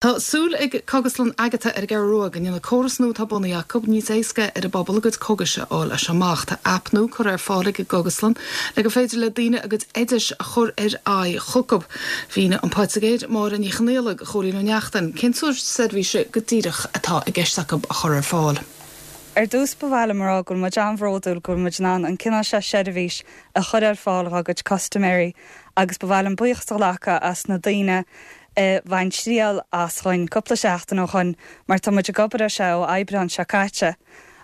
Tá súil ag Cógaslann Agatha ar an gCeathrú Rua go ndéanfaidh córas nua atá bunaithe acu níos éasca ar an bpobal a gcuid cógais a fháil as seo amach. Tá aip nua curtha ar fáil ag an gcógaslann le gur féidir le daoine a gcuid oidis a chur ar aghaidh chucu. Mhínigh an Poitigéir Máire Ní Chonaola do Chóilín Ó Neachtain cén sórt seirbhíse go díreach atá i gceist acu a chur ar fáil. Ar dtús ba mhaith liom a rá go bhfuil muid an-bhródúil go bhfuil muid in ann an cineál seo seirbhís a chur ar fáil dhá gcuid custaiméirí agus ba mhaith liom buíochas a ghlacadh as na daoine a bhain triail as chugainn cúpla seachtain ó shoin mar tá muid ag obair ar seo ó Aibreán seo caite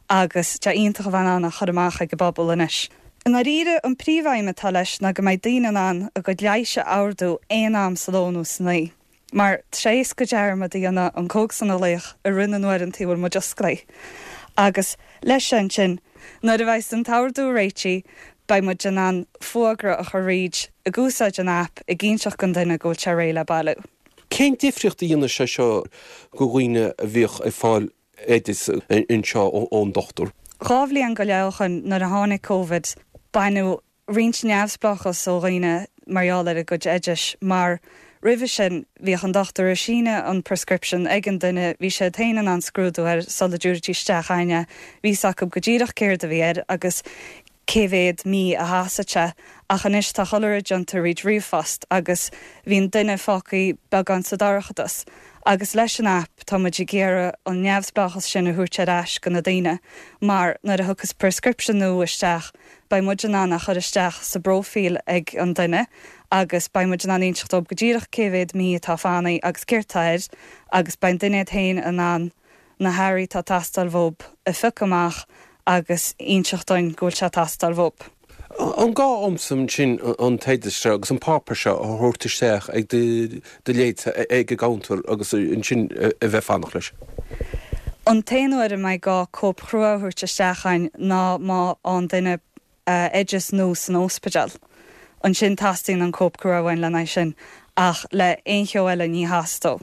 agus tá sé iontach a bheith in ann a chur amach ag an bpobal anois. I ndáiríre, an príomhaidhm atá leis ná go mbeidh daoine in ann a gcuid leighis a ordú aon am sa ló nó san oíche mar tá sé éasca dearmad a dhéanamh an cógaslann a ghlaoch i rith na n-uaireanta a bhfuil muid osclaithe agus leis seo ansin, nuair a bheidhs an t-ordú réitithe, beidh muid in ann fuagra a chur fríd ag úsáid an aip ag inseacht don duine go bhfuil sé réidh le bailiú. Cén difríocht a dhéanfaidh sé seo go dhaoine a bhíodh ag fáil oideas anseo ón dochtúir? 2 bhliain go leith ó shoin nuair a tháinig Covid, baineadh roinnt neamhspleáchas ó dhaoine mar gheall ar a gcuid oidis mar roimhe sin bhíodh an dochtúir ag síneadh an prescription ag an duine, bhí siad féin in ann scrúdú air sula dtabharfaidís isteach chugainn é, bhí 'fhios acu go díreach céard a bhí air agus cé mhéad mí a sheasfadh sé ach anois tá chuile rud déanta thríd ríomhphost agus bhíonn duine fágtha beagán sa dorchadas agus leis an aip tá muid ag iarraidh an neamhspleáchas sin a thabhairt ar ais go na daoine mar nuair a thiocfas prescription nua isteach beidh muid in ann é a chur isteach sa bpróifíl ag an duine agus beidh muid in ann inseacht dóibh go díreach cé mhéad mí atá fanaithe agus céard tá air agus beidh an duine iad féin in ann na hearraí atá ag teastáil uathu a phiocadh amach agus inseacht dúinn go bhfuil sé ag teastáil uathu. An gá dhomsa ansin an t-oideas seo agus an páipéar seo a thabhairt isteach ag do leithéidse ag an gcounter agus ansin a bheith ag fanacht leis? An t-aon uair a mbeidh gá cóip chrua a thabhairt isteach chugainn ná má fhaigheann duine oideas nua san óspidéal. Ansin teastaíonn an cóip crua uainn lena aghaidh sin, ach le aon cheo eile ní theastóidh.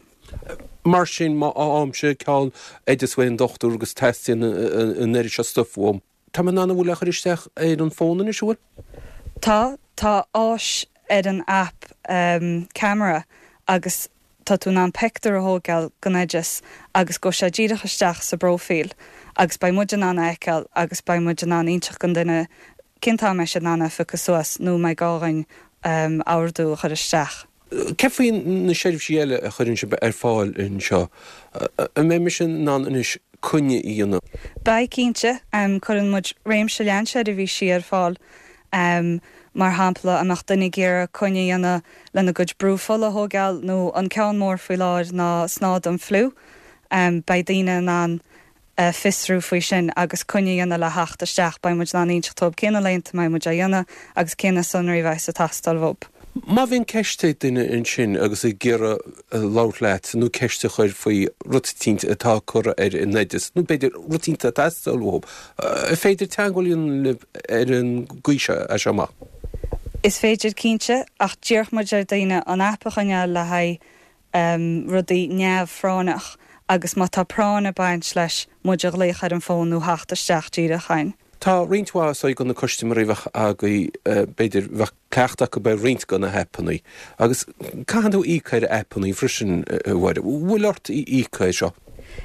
Mar sin, má fhaighimse ceann oideas uaidh an dochtúir agus teastaíonn an oiread seo stuif uaim, Tá mé in ann an bhfuil é a chur isteach ar an bhfón anois, an bhfuil? Tá, tá áis ar an aip ceamara agus tá tú in ann pictiúr a thóigeáil den oideas agus gabhfaidh sé díreach isteach sa bpróifíl agus beidh muid in ann a fheiceáil agus beidh muid in ann inseacht don duine cén t-am a mbeidh siad in ann é a phiocadh suas nó an mbeidh gá dhúinn ordú a chur isteach. Céard faoi na seirbhísí eile a chuireann sibh ar fáil anseo? An mbeidh mise in ann anois coinne a dhéanamh? Beidh, cinnte. Cuireann muid réimse leathan seirbhísí ar fáil. Mar shampla, an mbeadh duine ag iarraidh coinne a dhéanamh lena gcuid brú fola a thóigeáil nó an ceann mór faoi láthair ná snáth don fliú. Beidh daoine in ann fiosrú faoi sin agus coinne a dhéanamh le theacht isteach. Beidh muid in ann inseacht dóibh cé na laethanta a mbeidh muid á dhéanamh agus cé na sonraí a bheas ag teastáil uathu. Má bhíonn ceist ag duine ansin agus ag iarraidh labhairt leat nó ceist a chur faoi rud eicínt atá curtha ar an oideas nó b'fhéidir rud eicínt atá ag teastáil uathu, an féidir teagmháil a dhéanamh libh ar an gcaoi seo as seo amach? Is féidir cinnte, ach d'iarrfadh muid ar daoine an aip a choinneáil le haghaidh rudaí neamhphráinneach agus má tá práinn ag baint leis, muid a ghlaoch ar an bhfón nó theacht isteach díreach chugainn. Tá roinnt mhaith is dóigh de na custaiméirí a bheadh agaibh, b'fhéidir, bheadh cleachtadh acu ar roinnt de na haipeanna agus caitheann tú íoc ar aipeanna freisin, a Mháire. Bhfuil ort íoc air seo?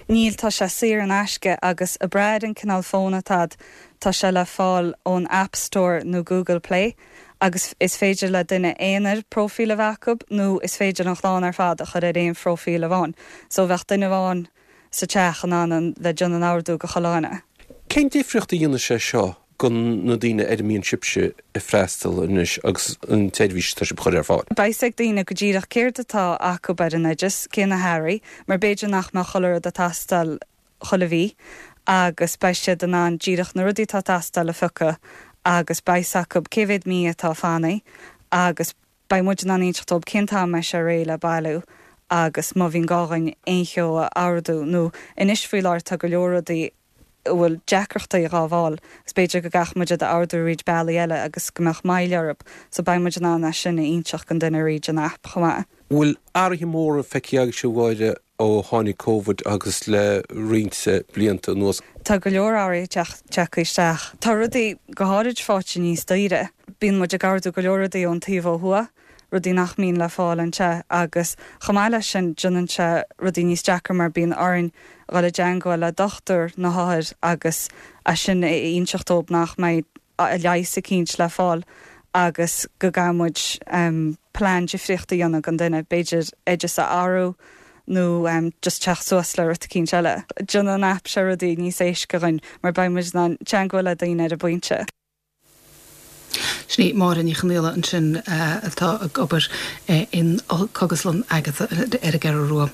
Níl, tá sé saor in aisce agus ag brath ar an cineál fón atá agat, tá sé le fáil ón App Store nó Google Play. agus is féidir le duine aonair próifíl a bheith acu nó is féidir an chlann ar fad a chur ar aon phróifíl amháin. So bheadh duine amháin sa teach in ann an bheith déanamh an ordú go chuile dhuine. Cén difríocht a dhéanfaidh sé seo go na daoine ar a mbíonn sibhse ag freastal anois agus an tseirbhís atá sibh a chur ar fáil? Beidh 's ag daoine go díreach céard atá acu ar an oideas, cé na hearraí, mar b'fhéidir nach mbeadh chuile rud ag teastáil chuile mhí agus beidh siad in ann díreach na rudaí atá ag teastáil a phiocadh agus beidh 's acu cé mhéad mí atá fanaithe agus beidh muid in ann inseacht dóibh cén t-am a mbeidh sé réidh le bailiú agus má bhíonn gá dhúinn aon cheo a ordú nó anois faoi láthair tá go leor rudaí a bhfuil deacrachtaí dhá bhfáil agus b'fhéidir go gcaithfidh muid iad a ordú thríd bealaí eile agus go mbeadh moill orthu so beidh muid in ann é sin a inseacht don duine thríd an aip chomh maith. Bhfuil athruithe móra feicthe agaibhse a Mháire ó tháinig Covid agus le roinnt blianta anuas. Tá go leor athruithe tagtha isteach. Tá rudaí go háirid faighte níos daoire. Bíonn muid ag ordú go leor rudaí ón taobh ó thuaidh. rudaí nach mbíonn le fáil anseo agus chomh maith leis sin déanann sé rudaí níos deacra mar bíonn orainn dhul i dteangmháil le dochtúir na hothair agus é sin a inseacht dóibh nach mbeidh leigheas eicínt le fáil agus go gcaithfidh muid plean difríocht a dhéanamh don duine, b'fhéidir oideas a athrú nó just teacht suas le rud eicínt eile. Déanann an aip seo rudaí níos éasca dhuinn mar beidh muid in ann teangmháil le daoine ar an bpointe. Sin í Máire Ní Chonaola ansin atá ag obair in Cógaslann Agatha ar an gCeathrú Rua.